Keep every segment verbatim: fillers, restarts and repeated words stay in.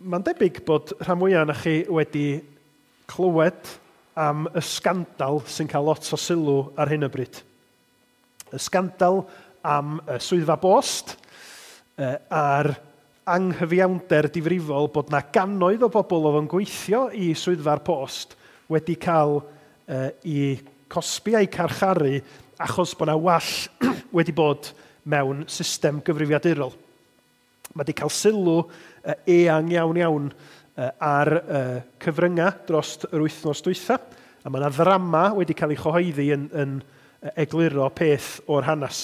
Mae'n debyg bod rhan mwyaf ohonoch chi wedi clywed am y sgandal sy'n cael lot o sylw ar hyn o bryd. Y sgandal am y swyddfa bost a'r anghyfiawnder difrifol bod na gannoedd o bobl oedd yn gweithio i swyddfa'r post wedi cael eu cosbi a'u carcharu achos bod na wall wedi bod mewn system gyfrifiadurol. Mae wedi cael sylw eang iawn iawn ar cyfryngau dros yr wythnos dwytha, a mae yna ddrama wedi cael ei chyhoeddi yn, yn egluro peth o'r hanes.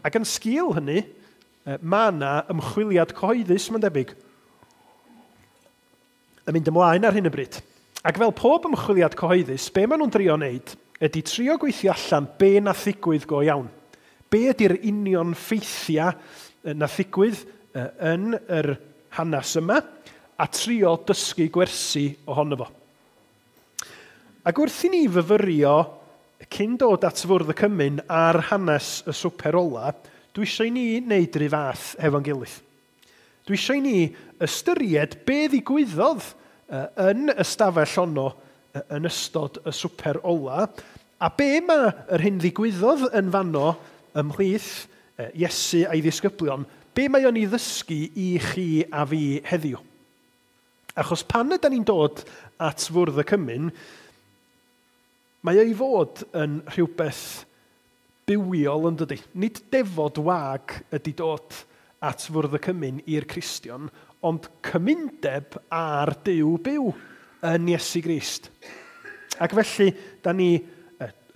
Ac yn sgil hynny, mae yna ymchwiliad cyhoeddus, mae'n debyg, yn mynd ymlaen ar hyn o bryd. Ac fel pob ymchwiliad cyhoeddus, be maen nhw'n drio wneud ydy trio gweithio allan be nath ddigwydd go iawn. Be ydy'r union ffeithiau nath ddigwydd yn yr hanes yma, a trio dysgu gwersi ohono fo. Ac wrth i ni fyfyrio cyn dod at fwrdd y cymun ar hanes y swper ola, dwi eisiau i ni wneud rhyw fath hefo'n gilydd. Dwi eisiau i ni ystyried be ddigwyddodd yn y stafell honno yn ystod y swper ola, a be mae yr hyn ddigwyddodd yn fanno ymhlith Iesu a'i ddisgyblion, be mae o'n ei ddysgu i chi a fi heddiw. Achos pan ydan ni'n dod at fwrdd y cymun, mae o'i fod yn rhywbeth bywiol yn dydy. Nid defod wag ydy dod at fwrdd y cymun i'r Cristion, ond cymundeb ar Duw byw yn Iesu Grist. Ac felly, da ni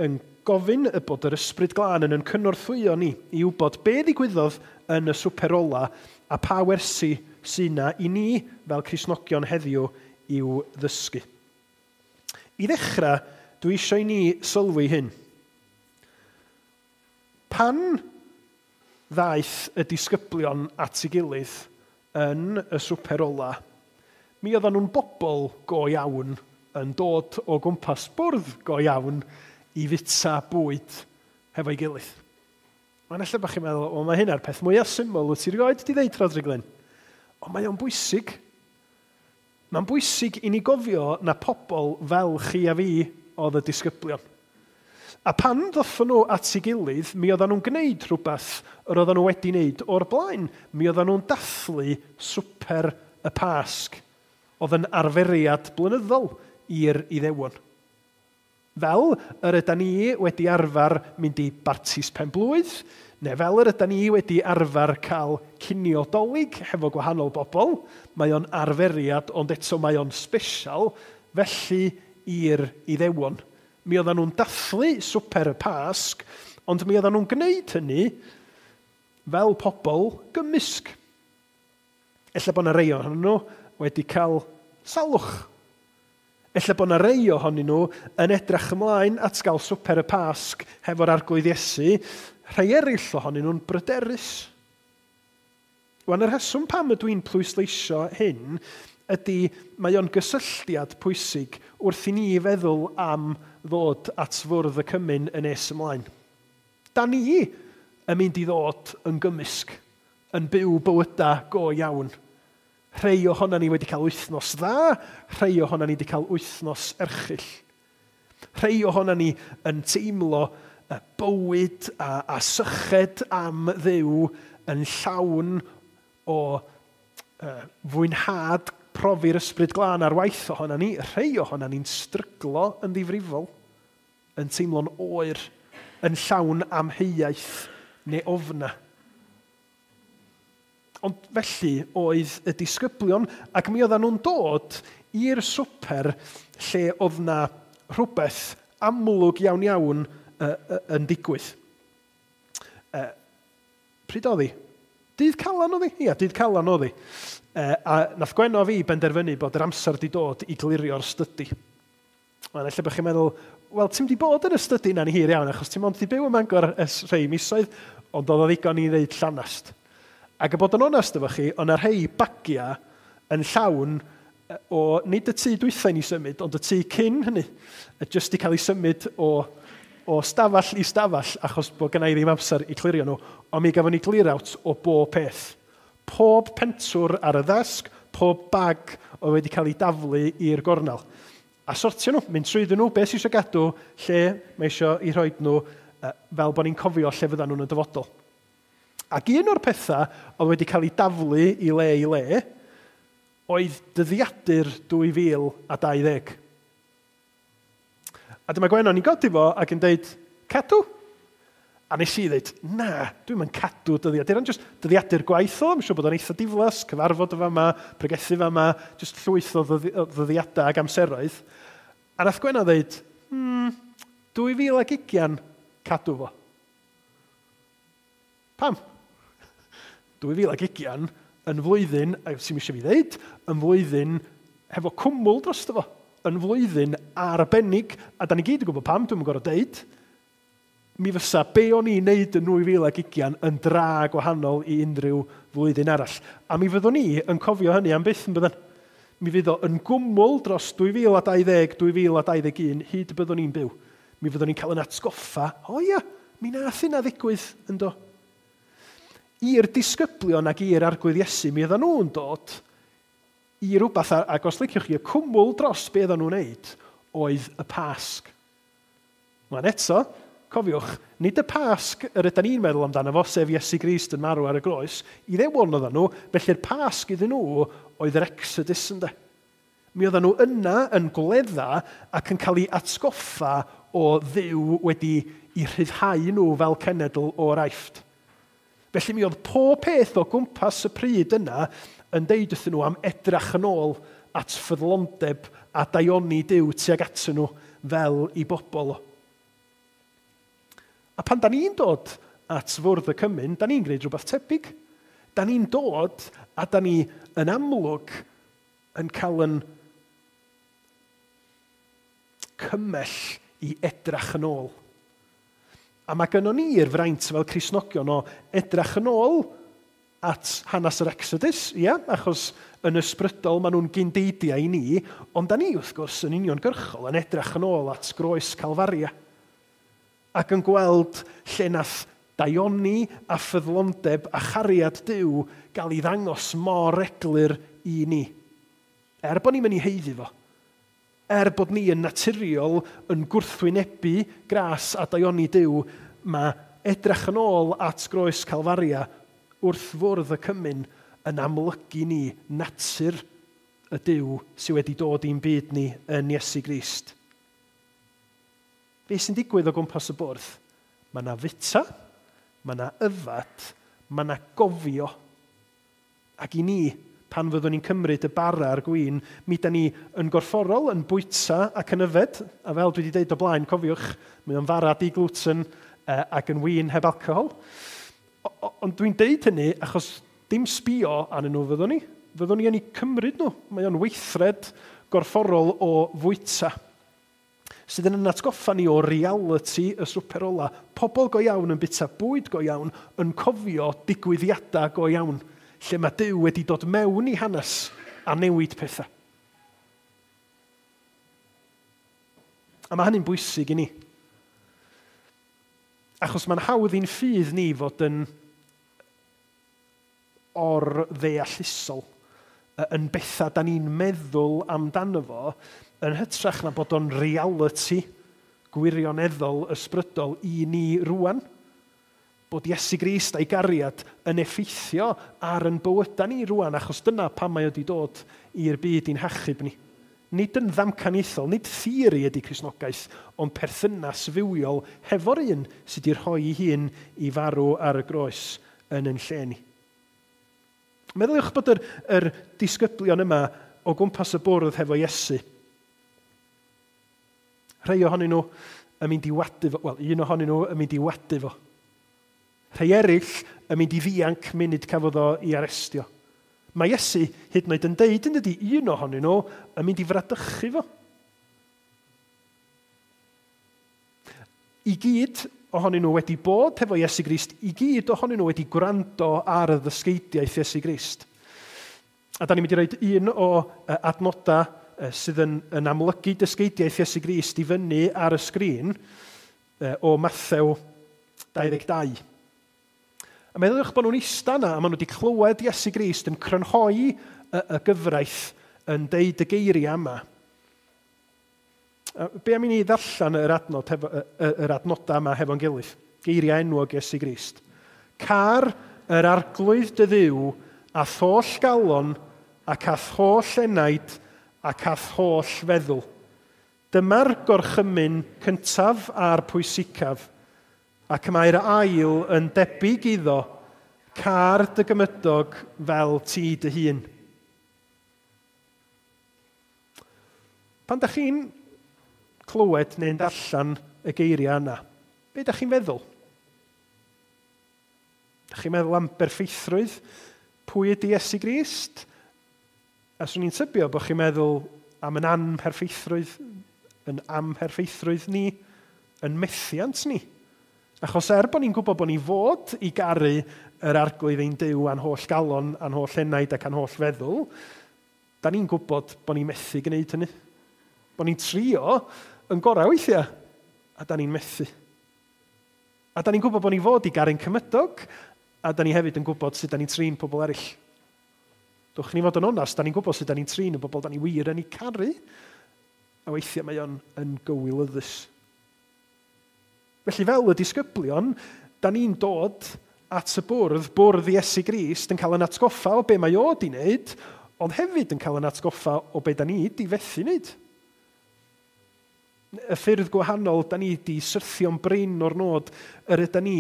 yn gofyn y bod yr Ysbryd Glân yn yn cynorthwyo ni i wybod be ddigwyddodd yn y swper ola a pa wersi sy'n na i ni fel Cristnogion heddiw i'w ddysgu. I ddechrau, dwi eisiau i ni sylwi hyn. Pan ddaeth y disgyblion at ei gilydd yn y swper ola, mi oedden nhw'n bobl go iawn yn dod o gwmpas bwrdd go iawn i fita bwyd hefo'i gilydd. Mae'n ella bod chi'n meddwl, o, mae hynna'r peth mwyaf syml wyt ti erioed di ddeud, Rhodri Glyn. Ond mae o'n bwysig. Mae'n bwysig i ni gofio na pobl fel chi a fi oedd y disgyblion. A pan ddothon nhw at ei gilydd, mi oedden nhw'n gwneud rhywbeth yr oedden nhw wedi wneud o'r blaen. Mi oedden nhw'n dathlu swper y Pasg, oedd yn arferiad blynyddol i'r Iddewon. Fel yr ydan ni wedi arfer mynd i bartis penblwydd, neu fel yr ydan ni wedi arfer cael cinio Dolig hefo gwahanol bobl, mae o'n arferiad, ond eto mae o'n special, felly i'r Iddewon. Mi oedden nhw'n dathlu swper y Pasg, ond mi oedden nhw'n gwneud hynny fel pobl gymysg. Ella bod yna rei ohonyn nhw wedi cael salwch. Ella bod yna rei ohonyn nhw yn edrych ymlaen at gael swper y Pasg hefo'r Arglwydd Iesu, rhai eraill ohonyn nhw'n bryderus. Wan, y rheswm pam ydw i'n pwysleisio hyn ydy mae o'n gysylltiad pwysig wrth i ni feddwl am ddod at fwrdd y cymun yn nes ymlaen. Da ni yn mynd i ddod yn gymysg, yn byw bywydau go iawn. Rhai ohonan ni wedi cael wythnos dda, rhai ohonan ni wedi cael wythnos erchyll. Rhai ohonan ni yn teimlo bywyd a, a syched am Dduw yn llawn o uh, fwynhad profi'r Ysbryd Glân ar waith ohonan ni. Rhai ohonan ni'n stryglo yn ddifrifol, yn teimlo'n oer, yn llawn amheuaeth neu ofna. Ond felly oedd y disgyblion, ac mi oedden nhw'n dod i'r swper lle oedd na rhywbeth amlwg iawn iawn uh, uh, yn digwydd. Uh, pryd oedd hi? Dydd Calan oedd hi? Ia, dydd Calan oedd hi. Uh, a nath Gwenno fi benderfynu bod yr amser di dod i glirio'r stydi. Mae'n ella bod chi'n meddwl, wel, ti'n di bod yn y stydi na'n hir iawn, achos ti'n mond di byw ym Mangor ers rhai misoedd, ond oedd o ddigon i ddeud llanast. Ac y bod yn onest efo chi, oedd 'na rhai bagiau yn llawn o, nid y tŷ dwytha i ni symud, ond y tŷ cyn hynny, jyst i cael ei symud o, o stafell i stafell, achos bod gynna i ddim amser i clirio nhw, ond mi gafon ni clear out o bob peth. Pob pentwr ar y ddesg, pob bag oedd wedi cael ei daflu i'r gornel. A sortio nhw, mynd trwyddyn nhw, beth sy'n eisiau gadw, lle mae eisiau i rhoi nhw, fel bod ni'n cofio lle fyddan nhw'n y dyfodol. Ac un o'r pethau oedd wedi cael ei daflu i le i le, oedd dyddiadur dwy fil a dau ddeg. A dyma Gwennon i'n godi fo ac yn deud, cadw? A nes i ddeud, na, dwi'm yn cadw dyddiadur, ond just dyddiadur gwaith o, I'm siŵr bod o'n eitha diflas, cyfarfod o fama, pregethu fama, just llwyth o ddyddiadau ac amseroedd. A nath Gwenno ddeud, hmm, dwy fil ag ugian, cadw fo. Pam? dwy fil ag ugian yn flwyddyn, sy'm eisiau fi ddeud, yn flwyddyn hefo cwmwl drosto fo, yn flwyddyn arbennig, a da ni gyd yn gwybod pam, dwi'm yn gorfod deud, mi fysa be o'n i'n neud yn dwy fil ag ugian yn dra gwahanol i unrhyw flwyddyn arall. A mi fyddwn ni yn cofio hynny am byth yn byddan. Mi fydd o yn gwmwl dros dwy fil a dau ddeg, dwy fil a dau ddeg un, hyd y byddwn ni'n byw. Mi fyddwn ni'n cael yn atgoffa, o ia, mi nath hynna ddigwydd yn do. I'r disgyblion ac i'r Arglwydd Iesu, mi oedden nhw'n dod i rhywbeth, ac os liciwch chi, y cwmwl dros be oedden nhw'n neud, oedd y Pasg. Mae'n eto, cofiwch, nid y Pasg yr ydyn ni'n meddwl amdano fo, sef Iesu Grist yn marw ar y groes, Iddewon oedden nhw, felly'r Pasg iddyn nhw oedd yr Exodus ynde. Mi oedden nhw yna yn gwledda ac yn cael ei atgoffa o Dduw wedi i rhyddhau nhw fel cenedl o'r Aifft. Felly mi oedd pob peth o gwmpas y pryd yna yn deud wrthyn nhw am edrach yn ôl at ffyddlondeb a daioni Duw tuag atyn nhw fel i bobl. A pan da ni'n dod at fwrdd y cymun, da ni'n gwneud rhywbeth tebyg. Da ni'n dod a da ni yn amlwg yn cael yn cymell i edrach yn ôl. A mae gynnon ni'r fraint fel Cristnogion o edrach yn ôl at hanes yr Exodus, ia, achos yn ysbrydol maen nhw'n gyndeidiau i ni, ond da ni wrth gwrs yn uniongyrchol yn edrach yn ôl at groes Calfaria. Ac yn gweld lle nath daioni a ffyddlondeb a chariad Duw gael ei ddangos mor eglur i ni. Er bod ni'n mynd i haeddu fo, er bod ni yn naturiol yn gwrthwynebu gras a daioni Duw, mae edrach yn ôl at groes Calfaria wrth fwrdd y cymun yn amlygu ni natur y Duw sydd wedi dod i'n byd ni yn Iesu Grist. Be sy'n digwydd o gwmpas y bwrdd? Mae yna fita, mae yna yfad, mae yna gofio. Ac i ni, pan fyddwn ni'n cymryd y bara a'r gwin, mi da ni yn gorfforol, yn bwyta ac yn yfed. A fel dwi wedi dweud o blaen, cofiwch, mae o'n fara di-gluten ac yn win heb alcohol. Ond dwi'n deud hynny achos dim sbio arnyn nhw fyddwn ni. Fyddwn ni yn eu cymryd nhw. Mae o'n weithred gorfforol o fwyta, sydd yn atgoffa ni o reality y swper ola. Pobl go iawn yn bwyta bwyd go iawn, yn cofio digwyddiadau go iawn, lle mae Duw wedi dod mewn i hanes a newid pethau. A mae hynny'n bwysig i ni. Achos mae'n hawdd i'n ffydd ni fod yn or-ddeallusol, yn bethau da ni'n meddwl amdano fo, yn hytrach na bod o'n reality gwirioneddol ysbrydol i ni rwan. Bod Iesu Grist a'i gariad yn effeithio ar yn bywydau ni rwan, achos dyna pam mae wedi dod i'r byd i'n hachub ni. Nid yn ddamcaniaethol, nid theori ydy Cristnogaeth, ond perthynas fywiol hefo'r un sydd wedi rhoi ei hun i farw ar y groes yn yn lle ni. Meddyliwch bod yr, yr disgyblion yma o gwmpas y bwrdd hefo Iesu. Rhai ohonyn nhw yn mynd i wadu fo, wel, un ohonyn nhw yn mynd i wadu fo. Rhai eraill yn mynd i ddianc munud cafodd o i arestio. Mae Iesu hyd yn oed yn deud yn dydi, un ohonyn nhw yn mynd i fradychu fo. I gyd ohonyn nhw wedi bod hefo Iesu Grist, i gyd ohonyn nhw wedi gwrando ar y ddysgeidiaeth Iesu Grist. A da ni'n mynd i roed un o adnodau sydd yn, yn amlygu dysgeidiaeth Iesu Grist i fyny ar y sgrin o Mathew dau ddeg dau. A meddyliwch bod nhw'n eista yna, a maen nhw wedi clywed Iesu Grist yn crynhoi y, y gyfraith yn deud y geiriau yma. A be am i ni ddarllen yr, adnod hefo, yr adnodau yma hefo'n gilydd? Geiriau enwog Iesu Grist. Car yr arglwydd dy Dduw a'th holl galon ac a'th holl enaid ac a'th holl feddwl. Dyma'r gorchymyn cyntaf a'r pwysicaf, ac mae'r ail yn debyg iddo, car dy gymydog fel ti dy hun. Pan da chi'n clywed neu'n darllen y geiriau yna, be da chi'n feddwl? Da chi'n meddwl am berffeithrwydd? Pwy ydy Iesu Grist? A swn i'n tybio bod chi'n meddwl am yn anmherffeithrwydd, yn amherffeithrwydd ni, yn methiant ni. Achos er bod ni'n gwybod bod ni fod i garu yr arglwydd ein Duw a'n holl galon, a'n holl enaid ac a'n holl feddwl, da ni'n gwybod bod ni'n methu gwneud hynny. Bod ni'n trio yn gorau weithiau, a da ni'n methu. A da ni'n gwybod bod ni fod i garu'n cymydog, a da ni hefyd yn gwybod sut da ni'n trin pobl eraill. Dwch ni fod yn onast, da ni'n gwybod sut da ni'n trin y bobl da ni wir yn eu caru, a weithiau mae o'n yn gywilyddus. Felly fel y disgyblion, da ni'n dod at y bwrdd, bwrdd Iesu Grist, yn cael yn atgoffa o be mae o di wneud, ond hefyd yn cael yn atgoffa o be da ni di fethu wneud. Y ffyrdd gwahanol da ni di syrthio'n brin o'r nod yr yda ni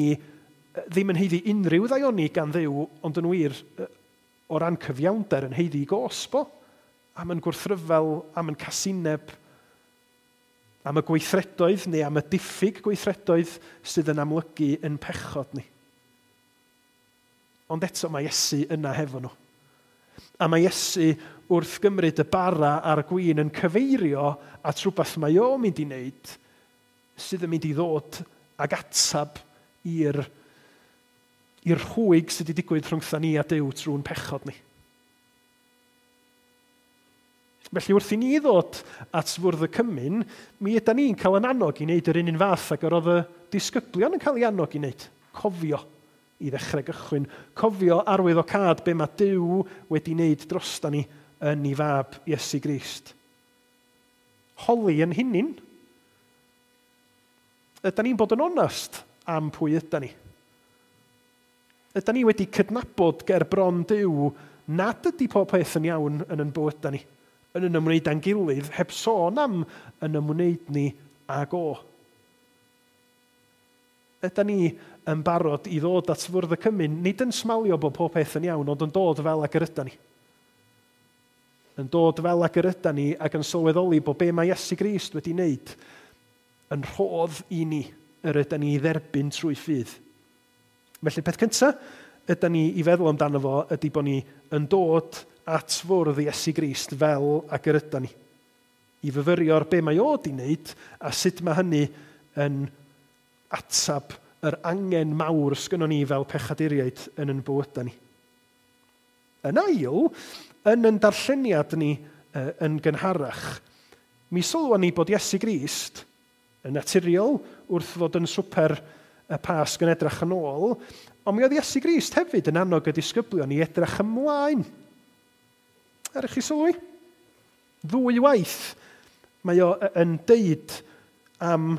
ddim yn haeddu unrhyw ddaioni gan Dduw, ond yn wir o ran cyfiawnder yn haeddu gosbo, am yn gwrthryfel, am yn casineb, am y gweithredoedd neu am y diffyg gweithredoedd sydd yn amlygu yn pechod ni. Ond eto mae Iesu yna hefo nhw. A mae Iesu wrth gymryd y bara a'r gwin yn cyfeirio at rhywbeth mae o'n mynd i wneud sydd yn mynd i ddod ag atab i'r i'r rhwyg sydd wedi digwydd rhwngtha ni a Duw trwy'n pechod ni. Felly wrth i ni ddod at fwrdd y cymun, mi ydan ni'n cael yn annog i wneud yr un un fath ag yr oedd y disgyblion yn cael ei annog i wneud. Cofio i ddechrau gychwyn. Cofio arwyddocâd be mae Duw wedi wneud drosta ni yn ei fab Iesu Grist. Holi yn hunin. Ydan ni'n bod yn onast am pwy ydan ni? Ydan ni wedi cydnabod ger bron Duw nad ydy pob peth yn iawn yn yn bywydau ni, yn yn ymwneud â'n gilydd, heb sôn am yn ymwneud ni ag o. Ydan ni yn barod i ddod at fwrdd y cymun, nid yn smalio bod pob peth yn iawn, ond yn dod fel ag yr ydan ni. Yn dod fel ag yr ydan ni ac yn sylweddoli bod be mae Iesu Grist wedi wneud yn rhodd i ni yr ydan ni i dderbyn trwy ffydd. Felly peth cyntaf ydan ni i feddwl amdano fo ydy bod ni yn dod at fwrdd Iesu Grist fel ag yr ydan ni. I fyfyrio ar be mae o di wneud a sut mae hynny yn atab yr angen mawr sgynnon ni fel pechaduriaid yn yn bywydau ni. Yn ail, yn yn darlleniad ni yn gynharach, mi sylwa ni bod Iesu Grist yn naturiol wrth fod yn swper y Pasg yn edrych yn ôl, ond mi oedd Iesu Grist hefyd yn annog y disgyblion i edrych ymlaen. Er i chi sylwi? Ddwy waith mae o yn deud am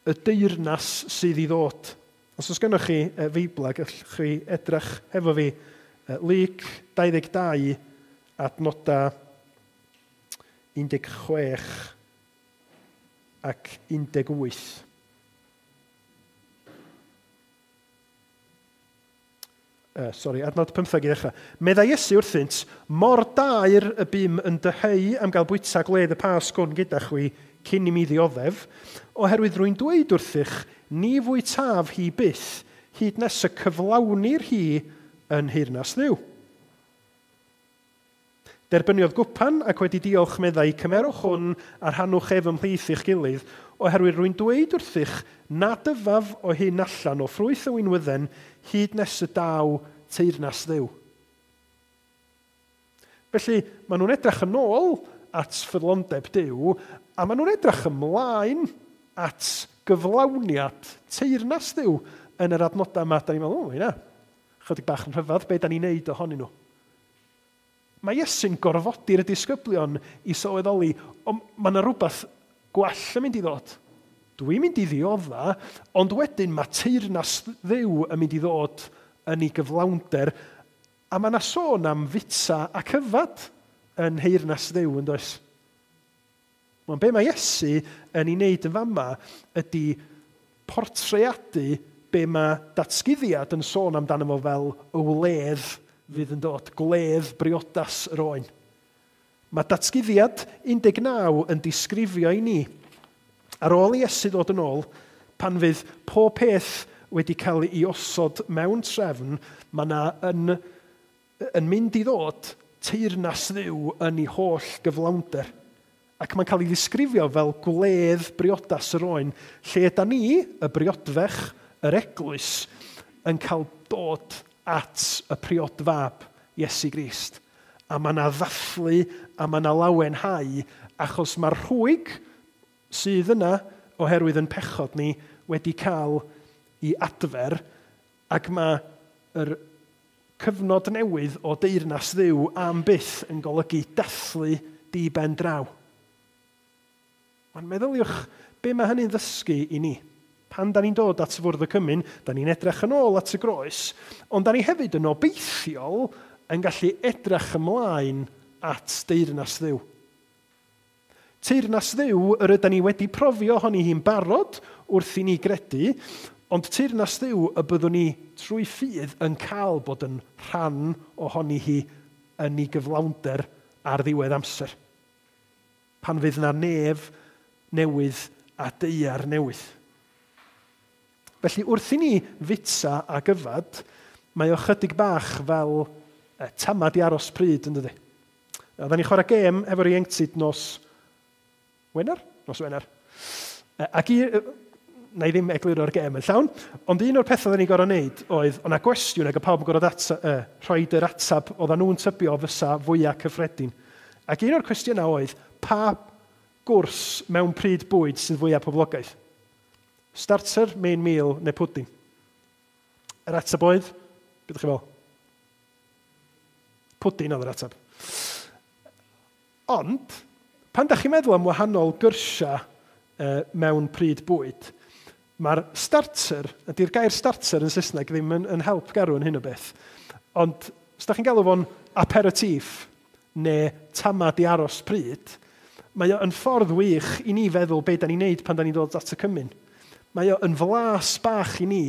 y deyrnas sydd i ddod. Os oes gennych chi Feibl, gallwch chi edrych hefo fi Luc dau ddeg dau adnoda un deg chwech ac un deg wyth. Uh, sorry, adnod pymtheg i ddechrau. Meddai Iesu wrthynt, mor daer y bum yn dyheu am gael bwyta gwledd y Pasg hwn gyda chwi cyn i mi ddioddef, oherwydd rwy'n dweud wrthych, ni fwytaf hi byth, hyd nes y cyflawnir hi yn nheyrnas Dduw. Derbyniodd gwpan ac wedi diolch meddai, cymerwch hwn a rhannwch ef ymhlith eich gilydd, oherwydd rwy'n dweud wrthych nad yfaf o hyn allan o ffrwyth y winwydden hyd nes y daw teyrnas Dduw. Felly, maen nhw'n edrych yn ôl at ffyddlondeb Duw, a maen nhw'n edrych ymlaen at gyflawniad teyrnas Dduw yn yr adnodau yma. Da ni'n meddwl, o, hynna, Chydig bach yn rhyfedd, be da ni'n neud ohonyn nhw. Mae Iesu'n gorfodi'r disgyblion i sylweddoli, ond mae yna rhywbeth gwell yn mynd i ddod. Dwi'n mynd i ddiodda, ond wedyn mae teyrnas Dduw yn mynd i ddod yn ei gyflawnder, a mae yna sôn am fita ac yfad yn nheyrnas Dduw, yn does? Wel, be mae Iesu yn ei wneud yn fama ydy portreadu be mae datguddiad yn sôn amdano fo fel y wledd fydd yn dod, gwledd briodas yr oen. Mae datguddiad un deg naw yn disgrifio i ni, ar ôl i Iesu ddod yn ôl, pan fydd pob peth wedi cael ei osod mewn trefn, mae yna yn, yn mynd i ddod teyrnas Dduw yn ei holl gyflawnder. Ac mae'n cael ei ddisgrifio fel gwledd briodas yr oen, lle yda ni, y briodfech, yr eglwys, yn cael dod at y priodfab, Iesu Grist. A mae yna ddathlu, a mae yna lawenhau, achos mae'r rhwyg sydd yna, oherwydd yn pechod ni, wedi cael ei adfer, ac mae yr cyfnod newydd o deyrnas Dduw am byth yn golygu dathlu di ben draw. Ond meddyliwch, be mae hynny'n ddysgu i ni? Pan da ni'n dod at fwrdd y cymun, da ni'n edrych yn ôl at y groes, ond da ni hefyd yn obeithiol yn gallu edrych ymlaen at deyrnas Dduw. Teyrnas Dduw yr ydan ni wedi profi ohoni hi'n barod wrth i ni gredu, ond teyrnas Dduw y byddwn ni trwy ffydd yn cael bod yn rhan ohoni hi yn ei gyflawnder ar ddiwedd amser. Pan fydd yna nef newydd a daear newydd. Felly wrth i ni fita ac yfad, mae o chydig bach fel e, tamad i aros pryd, yn dydi? Oedden ni chwarae gêm efo'r ieuenctid nos Wener? Nos Wener. Ac i, na i ddim egluro'r gêm yn llawn, ond un o'r pethau oedden ni gorfod wneud oedd, o'na gwestiwn ac y pawb yn gorfod ata, uh, rhoid yr atab oedden nhw'n tybio fysa fwyaf cyffredin. Ac un o'r cwestiynau oedd, pa gwrs mewn pryd bwyd sydd fwyaf poblogaidd? Starter, main meal neu pudding? Yr ateb oedd, beth ydych chi fel? Pudding oedd yr ateb. Ond, pan da chi'n meddwl am wahanol gyrsiau uh, mewn pryd bwyd, mae'r starter, ydy'r gair starter yn Saesneg ddim yn, yn help garw yn hyn o beth, ond os da chi'n galw fo'n aperitif neu tamad i aros pryd, mae o yn ffordd wych i ni feddwl be da ni'n neud pan da ni'n dod at y cymun. Mae o yn flas bach i ni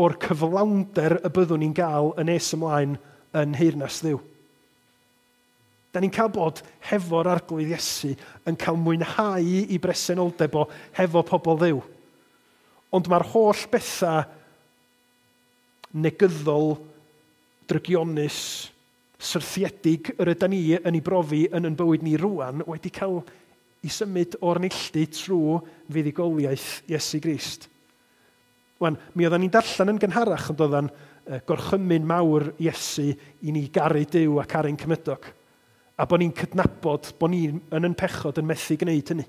o'r cyflawnder y byddwn ni'n gael yn nes ymlaen yn nheyrnas Dduw. Da ni'n cael bod hefo'r Arglwydd Iesu yn cael mwynhau i bresenoldeb o hefo pobl Dduw. Ond mae'r holl bethau negyddol, drygionus, syrthiedig yr ydan ni yn ei brofi yn yn bywyd ni rwan wedi cael i symud o'r neilltu trwy fuddugoliaeth Iesu Grist. Wan, mi oedden ni'n darllen yn gynharach ond oedden gorchymyn mawr Iesu i ni garu Duw ac caru'n cymydog. A bod ni'n cydnabod bod ni yn yn pechod yn methu gwneud hynny.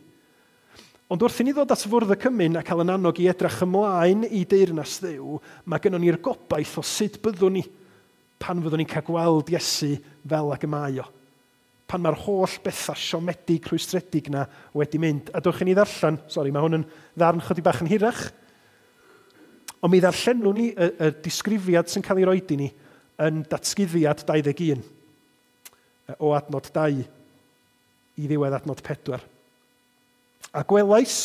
Ond wrth i ni ddod at fwrdd y cymun a cael yn annog i edrych ymlaen i deyrnas Dduw, mae gynnon ni'r gobaith o sut byddwn ni pan fyddwn ni'n cael gweld Iesu fel ag y mae o. Pan mae'r holl bethau siomedig, rhwystredig na wedi mynd. A dewch i ni ddarllen, sori, mae hwn yn ddarn chydig bach yn hirach, ond mi ddarllenwn ni y, y disgrifiad sy'n cael ei roed i ni yn datguddiad dau ddeg un, o adnod dau i ddiwedd adnod pedwar. A gwelais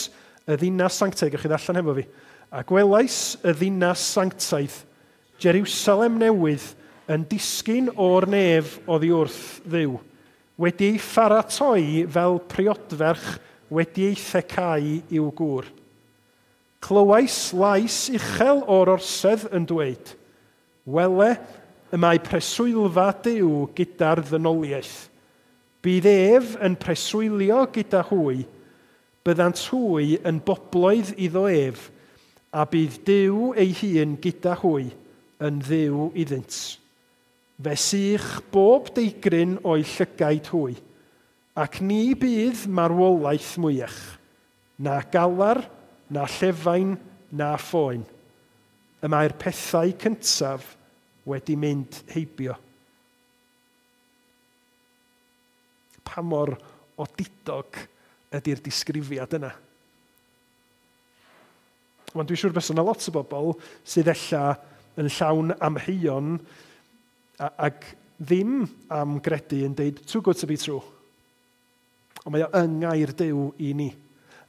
y ddinas sanctaidd, gewch chi ddarllen hefo fi, a gwelais y ddinas sanctaidd, Jerusalem newydd, yn disgyn o'r nef oddi wrth Dduw, wedi ei pharatoi fel priodferch wedi ei thecau i'w gŵr. Clywais lais uchel o'r orsedd yn dweud, wele, y mae preswylfa Duw gyda'r ddynoliaeth. Bydd ef yn preswylio gyda hwy, byddant hwy yn bobloedd iddo ef, a bydd Duw ei hun gyda hwy yn Dduw iddynt. Fe sych bob deigryn o'i llygaid hwy, ac ni bydd marwolaeth mwyach, na galar, na llefain, na phoen. Y mae'r pethau cyntaf wedi mynd heibio. Pa mor odidog ydy'r disgrifiad yna? Wan, dwi'n siŵr bysa yna lot o bobl sydd ella yn llawn amheuon ac ddim am gredu yn deud too good to be true. Ond mae o yng ngair Duw i ni.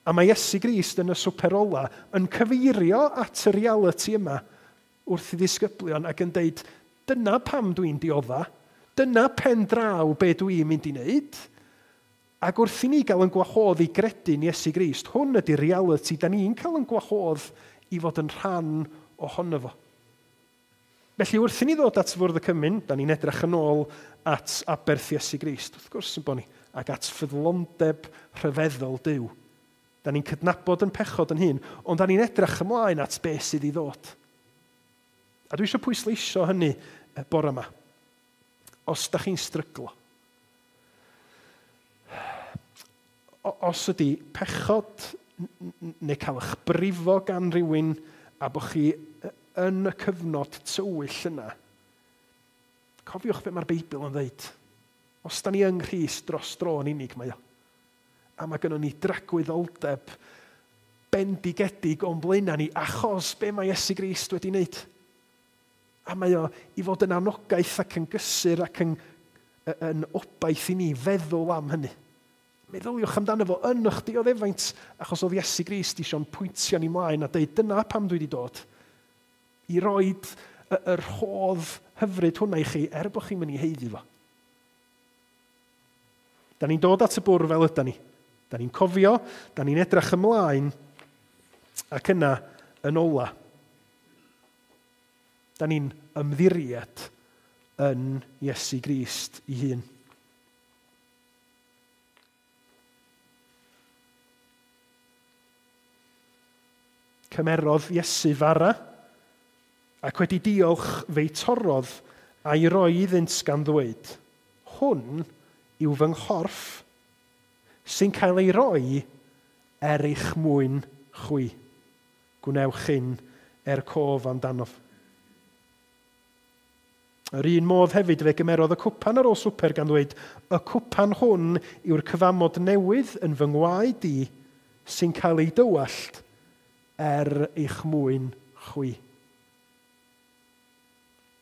A mae Iesu Grist yn y swper ola yn cyfeirio at y reality yma wrth i ddisgyblion ac yn deud, dyna pam dwi'n diodda, dyna pen draw be dwi'n mynd i wneud. Ac wrth i ni gael yn gwahodd i gredu'n Iesu Grist, hwn ydy'r reality da ni'n cael yn gwahodd i fod yn rhan ohono fo. Felly wrth i ni ddod at fwrdd y cymun, da ni'n edrych yn ôl at aberth Iesu Grist, wrth gwrs yn bod ni, ac at ffyddlondeb rhyfeddol Duw. Da ni'n cydnabod yn pechod yn hun, ond da ni'n edrych ymlaen at beth sydd i ddod. A dwi eisiau pwysleisio hynny bore yma. Os da chi'n stryglo, os ydy pechod neu cael eich brifo gan rywun a bod chi yn y cyfnod tywyll yna, cofiwch beth mae'r Beibl yn dweud. Os da ni yng Nghrist dros dro yn unig mae o. A mae gynnon ni dragwyddoldeb bendigedig o'n blaenau ni achos be mae Iesu Grist wedi wneud. A mae o i fod yn anogaeth ac yn gysur ac yn, yn obaith i ni feddwl am hynny. Meddyliwch amdano fo yn eich dioddefaint, achos oedd Iesu Grist eisiau'n pwyntio ni mlaen a deud dyna pam dwi wedi dod. I roed y, y rhodd hyfryd hwnna i chi er bod chi'n mynd i haeddu fo. Da ni'n dod at y bwrdd fel yda ni. Da ni'n cofio, da ni'n edrych ymlaen, ac yna yn ola. Da ni'n ymddiried yn Iesu Grist ei hun. Cymerodd Iesu fara, ac wedi diolch fe'i torrodd a'i roi iddynt gan ddweud, hwn yw fy nghorff sy'n cael ei roi er eich mwyn chwi. Gwnewch hyn er cof amdanof. Yr un modd hefyd fe gymerodd y cwpan ar ôl swper gan ddweud, y cwpan hwn yw'r cyfamod newydd yn fy ngwaed i sy'n cael ei dywallt er eich mwyn chwi.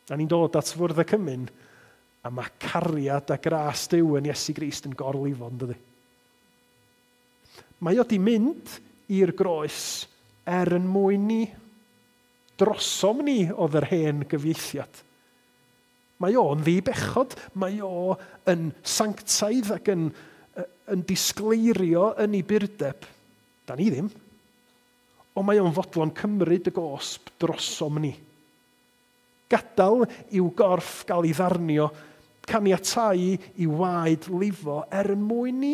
Da ni'n dod at fwrdd y cymun, a mae cariad a gras Duw yn Iesu Grist yn gorlifo, yn dydi? Mae o di mynd i'r groes er yn mwyn ni. Drosom ni oedd yr hen gyfieithiad. Mae o'n ddibechod, mae o yn sanctaidd ac yn, yn disgleirio yn ei burdeb. Da ni ddim. Ond mae o'n fodlon cymryd y gosb drosom ni. Gadael i'w gorff gael ei ddarnio, caniatáu i waed lifo er yn mwyn ni.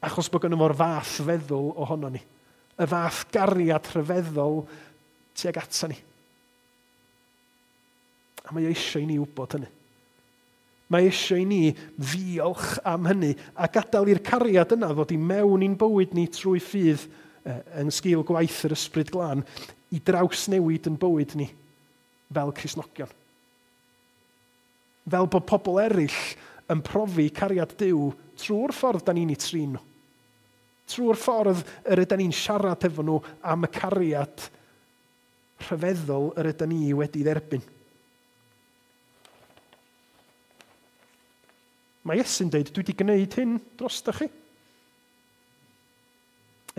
Achos bod gynno fo'r fath feddwl ohono ni. Y fath gariad rhyfeddol tuag ata ni. A mae eisiau i ni wybod hynny. Mae eisiau i ni ddiolch am hynny a gadael i'r cariad yna ddod i mewn i'n bywyd ni trwy ffydd yn sgil gwaith yr Ysbryd Glân i drawsnewid yn bywyd ni fel Cristnogion. Fel bod pobl eraill yn profi cariad Duw trwy'r ffordd da ni'n ei trin nhw. Trwy'r ffordd yr ydyn ni'n siarad efo nhw am y cariad rhyfeddol yr ydyn ni wedi dderbyn. Mae Iesu'n dweud, dwi wedi gwneud hyn drostoch chi.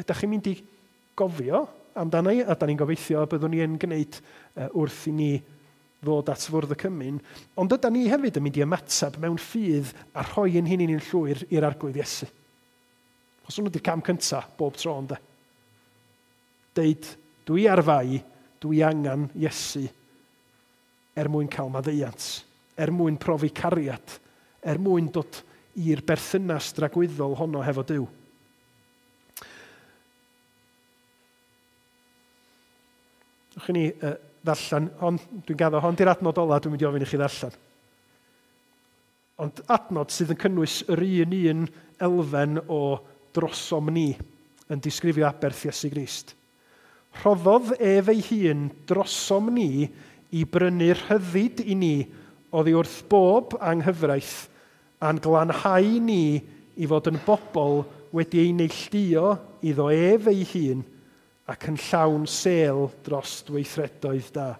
Ydych chi'n mynd i gofio amdano i, a da ni'n gobeithio byddwn ni yn gwneud wrth i ni ddod at fwrdd y cymun, ond ydy ni hefyd yn mynd i ymateb mewn ffydd a rhoi ein hunain yn llwyr i'r Arglwydd Iesu. Os hwnnw ydy'r cam cyntaf bob tro, ynde. Deud, dwi ar fai, dwi angen Iesu er mwyn cael maddeuant, er mwyn profi cariad, er mwyn dod i'r berthynas dragwyddol honno hefo Duw. Wch chi ni uh, ddarllen, hon, dwi'n gaddo, hon di'r adnod ola dwi'n mynd i ofyn i chi ddarllen. Ond adnod sydd yn cynnwys yr un un elfen o drosom ni yn disgrifio aberth Iesu Grist. Rhoddodd ef ei hun drosom ni i brynu rhyddid i ni oddi wrth bob anghyfraith a'n glanhau ni i fod yn bobl wedi ei neilltuo iddo ef ei hun ac yn llawn sêl dros weithredoedd da.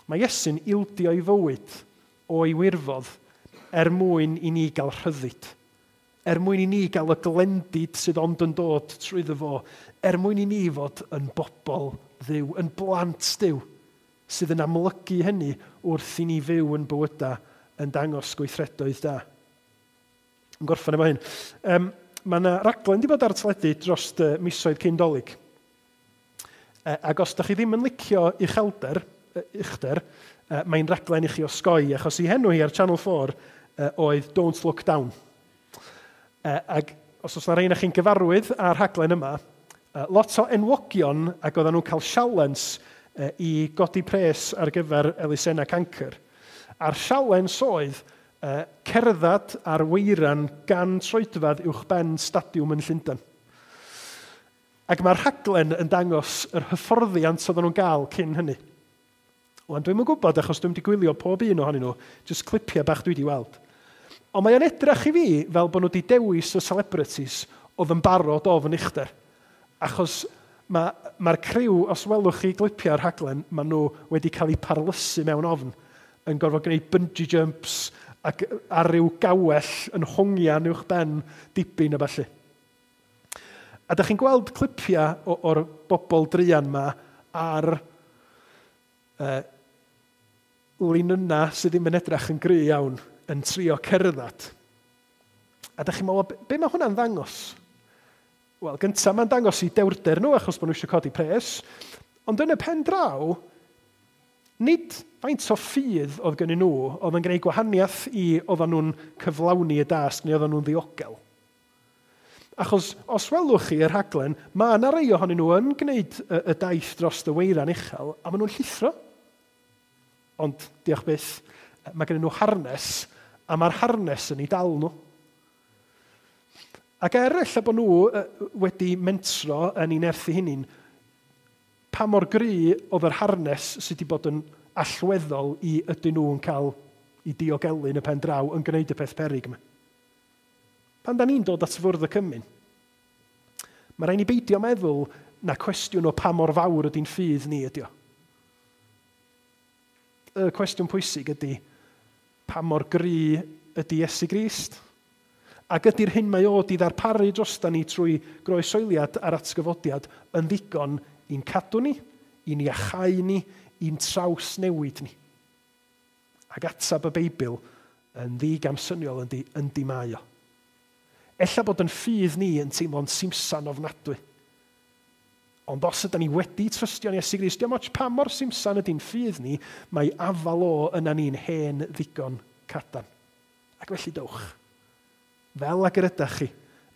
Mae Iesu'n ildio ei fywyd o'i wirfodd er mwyn i ni gael rhyddid, er mwyn i ni gael y glendid sydd ond yn dod trwyddo fo, er mwyn i ni fod yn bobl Dduw, yn blant Duw, sydd yn amlygu hynny wrth i ni fyw yn bywydau yn dangos gweithredoedd da. Yn gorffen efo hyn. Um, mae yna raglen wedi bod ar y teledu dros y misoedd cyn Dolig. E, ac os da chi ddim yn licio uchelder, uchder, e, mae'n raglen i chi osgoi, achos i henw hi ar Channel four e, oedd Don't Look Down. E, ac os oes yna rhain chi'n gyfarwydd â'r rhaglen yma, e, lot o enwogion ac oedden nhw'n cael sialens e, i godi pres ar gyfer elusennau cancr. A'r sialens oedd e, cerdded ar weiran gan troedfedd uwch ben stadiwm yn Llundain. Ac mae'r rhaglen yn dangos yr hyfforddiant oedden nhw'n gael cyn hynny. Wan, dwi'm yn gwybod achos dwi'm wedi gwylio pob un ohonyn nhw, jyst clipiau bach dwi wedi weld. Ond mae o'n edrych i fi fel bod nhw wedi dewis y celebrities oedd yn barod ofn uchder. Achos mae'r ma criw, os welwch chi clipiau'r rhaglen, maen nhw wedi cael eu parlysu mewn ofn, yn gorfod gwneud bungee jumps ac ar ryw gawell yn hongian uwch ben dibyn a ballu. A da chi'n gweld clipiau o'r bobl druan ma ar uh, linynau sydd ddim yn edrych yn gry iawn yn trio cerdded. A da chi'n meddwl, be mae hwnna'n ddangos? Wel, gyntaf mae'n dangos i dewrder nhw achos bod nhw eisiau codi pres, ond yn y pen draw, nid faint o ffydd oedd gennyn nhw oedd yn gwneud gwahaniaeth i oedden nhw'n cyflawni y dasg neu oedden nhw'n ddiogel. Achos os welwch chi y rhaglen, mae yna rai ohonyn nhw yn gwneud y, y daith dros y weiran uchel a maen nhw'n llithro. Ond, diolch byth, mae gennyn nhw harnes a mae'r harnes yn ei dal nhw. Ac er ella bod nhw wedi mentro yn ei nerthu hunain, pa mor gry oedd yr harnes sydd wedi bod yn allweddol i ydyn nhw'n cael i diogelu yn y pen draw yn gwneud y peth peryg yma. Pan da ni'n dod at fwrdd y cymun, mae rhaid ni beidio meddwl na cwestiwn o pa mor fawr ydy'n ffydd ni ydy o. Y cwestiwn pwysig ydy pa mor gry ydy Iesu Grist? Ac ydy'r hyn mae o di ddarparu drosta ni trwy groesoeliad a'r atgyfodiad yn ddigon i'n cadw ni, i'n iachau ni, i'n trawsnewid ni. Ac atab y Beibl yn ddigamsyniol yndi, yndi mae o. Ella bod yn ffydd ni yn teimlo'n simsan ofnadwy. Ond os ydyn ni wedi trystio'n Iesu Grist, diolch ots pa mor simsan ydy'n ffydd ni, mae afal o yna ni'n hen ddigon cadarn. Ac felly dowch, fel ag yr ydych chi,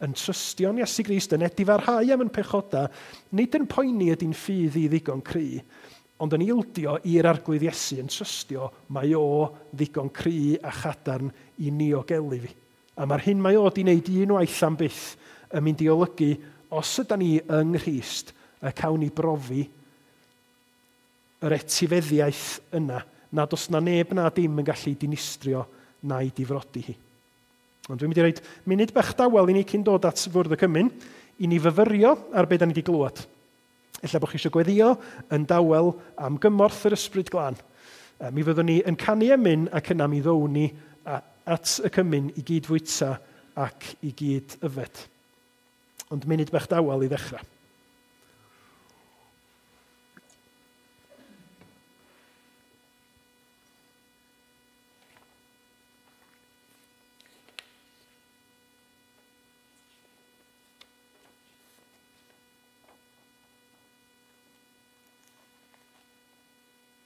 yn trystio'n Iesu Grist, yn edifarhau am yn pechoda, nid yn poeni ydy'n ffydd i ddigon cry, ond yn ildio i'r Arglwydd Iesu yn trystio mae o ddigon cry a chadarn i niogelu fi. A mae'r hyn mae o di wneud unwaith am byth yn mynd i olygu, os yda ni yng Nghrist, y cawn ni brofi yr etifeddiaeth yna, nad os na neb na dim yn gallu dinistrio na'i difrodi hi. Ond dwi'n mynd i roed munud bach dawel i ni cyn dod at fwrdd y cymun, i ni fyfyrio ar beth da ni wedi glywed. Ella bod chi eisiau gweddio yn dawel am gymorth yr Ysbryd Glân. Mi fyddwn ni yn canu emyn ac yna mi ddown ni at y cymun i gyd fwyta ac i gyd yfed. Ond munud bach dawel i ddechrau.